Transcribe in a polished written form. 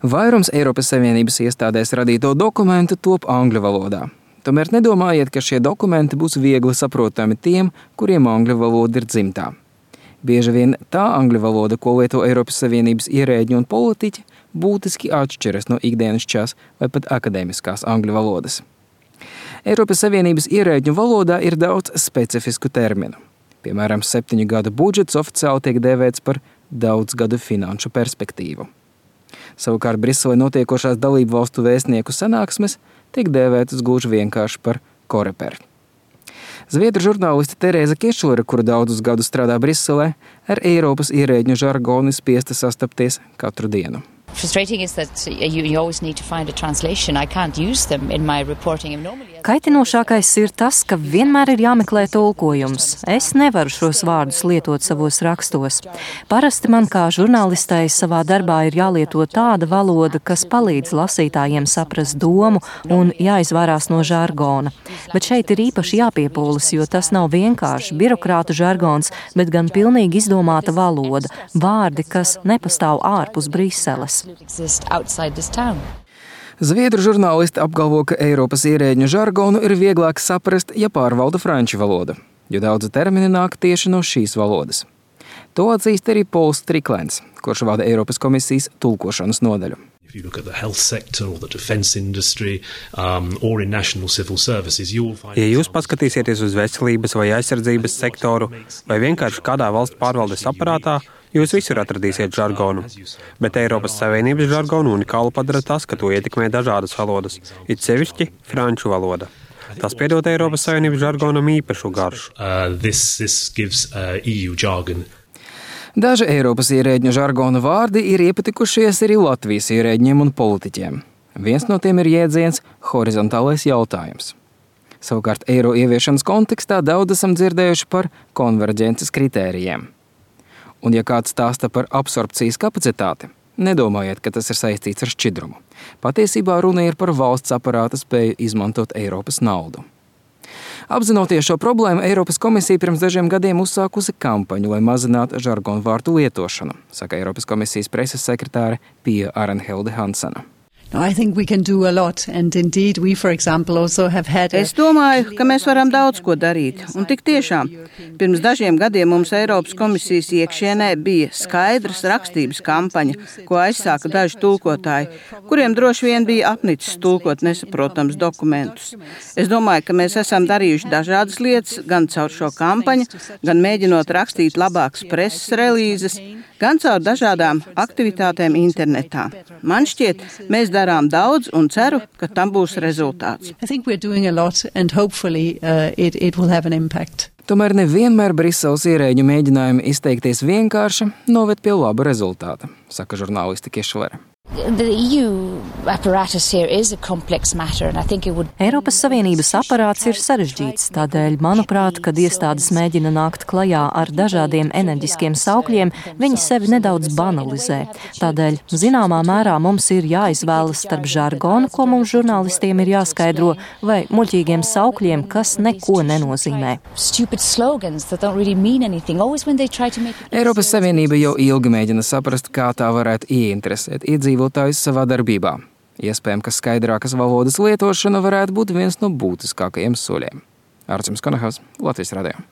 Vairums Eiropas Savienības iestādēs radīto dokumentu top angļu valodā. Tomēr nedomājiet, ka šie dokumenti būs viegli saprotami tiem, kuriem angļu valoda ir dzimtā. Bieži vien tā angļu valoda, ko lieto Eiropas Savienības ierēģi un politiķi, būtiski atšķiras no ikdienišķās vai pat akadēmiskās angļu valodas. Eiropas Savienības ierēģu valodā ir daudz specifisku terminu. Piemēram, 7 gadu budžets oficiāli tiek dēvēts par daudzgadu finanšu perspektīvu. Savukārt Briselē notiekošās dalību valstu vēstnieku sanāksmes tiek dēvētas gluži vienkārši par koreper. Zviedru žurnāliste Terēza Kešlere, kura daudzus gadus strādā Briselē, ar Eiropas ierēģu žargonu spiesta sastapties katru dienu. Kaitinošākais ir tas, ka vienmēr ir jāmeklē tulkojums. Es nevaru šos vārdus lietot savos rakstos. Parasti man kā žurnālistei savā darbā ir jālieto tāda valoda, kas palīdz lasītājiem saprast domu un jāizvairās no žargona. Bet šeit ir īpaši jāpiepūlas, jo tas nav vienkārši birokrātu žargons, bet gan pilnīgi izdomāta valoda, vārdi, kas nepastāv ārpus Briseles. Zviedru žurnālisti apgalvo, ka Eiropas ierēģu žargonu ir vieglāk saprast, ja pārvalda franču valoda, jo daudzi termini nāk tieši no šīs valodas. To atzīst arī Pols Striklēns, kurš vada Eiropas komisijas tulkošanas nodaļu. Ja jūs paskatīsieties uz veselības vai aizsardzības sektoru vai vienkārši kādā valsts pārvaldes aparātā, jūs visur atradīsiet žargonu. Bet Eiropas Savienības žargonu unikālu padara tas, ka to ietekmē dažādas valodas, it sevišķi franču valoda. Tas piedod Eiropas Savienības žargonam īpašu garšu. Daži Eiropas ierēģu žargona vārdi ir iepatikušies arī Latvijas ierēģiem un politiķiem. Viens no tiem ir jēdziens horizontālais jautājums. Savukārt eiro ieviešanas kontekstā daudz esam dzirdējuši par konverģences kritērijiem. Un ja kāds stāsta par absorpcijas kapacitāti, nedomājiet, ka tas ir saistīts ar šķidrumu. Patiesībā runa ir par valsts aparāta spēju izmantot Eiropas naudu. Apzinoties šo problēmu, Eiropas komisija pirms dažiem gadiem uzsākusi kampaņu, lai mazinātu žargonu vārdu lietošanu, saka Eiropas komisijas preses sekretāre Pia Arenhilde Hansena. Es domāju, ka mēs varam daudz ko darīt. Un tik tiešām, pirms dažiem gadiem mums Eiropas komisijas iekšienē bija skaidras rakstības kampaņa, ko aizsāka daži tulkotāji, kuriem droši vien bija apnicis tulkot nesaprotams dokumentus. Es domāju, ka mēs esam darījuši dažādas lietas, gan caur šo kampaņu, gan mēģinot rakstīt labākas preses relīzes, gan caur dažādām aktivitātēm internetā. Man šķiet, mēs darām daudz un ceru, ka tam būs rezultāts. Tomēr nevienmēr Briseles ierēģu mēģinājumi izteikties vienkārši noved pie laba rezultāta, saka žurnāliste Kešlere. Eiropas Savienības aparāts ir sarežģīts, tādēļ, manuprāt, kad iestādes mēģina nākt klajā ar dažādiem enerģiskiem saukļiem, viņi sevi nedaudz banalizē. Tādēļ, zināmā mērā mums ir jāizvēlas starp žargonu, ko mums žurnālistiem ir jāskaidro, vai muļķīgiem saukļiem, kas neko nenozīmē. Eiropas Savienība jau ilgi mēģina saprast, kā tā varētu ieinteresēt iedzīvotājus savā darbībā. Iespējams, ka skaidrākas valodas lietošana varētu būt viens no būtiskākajiem soļiem. Arcims Konahaus, Latvijas radio.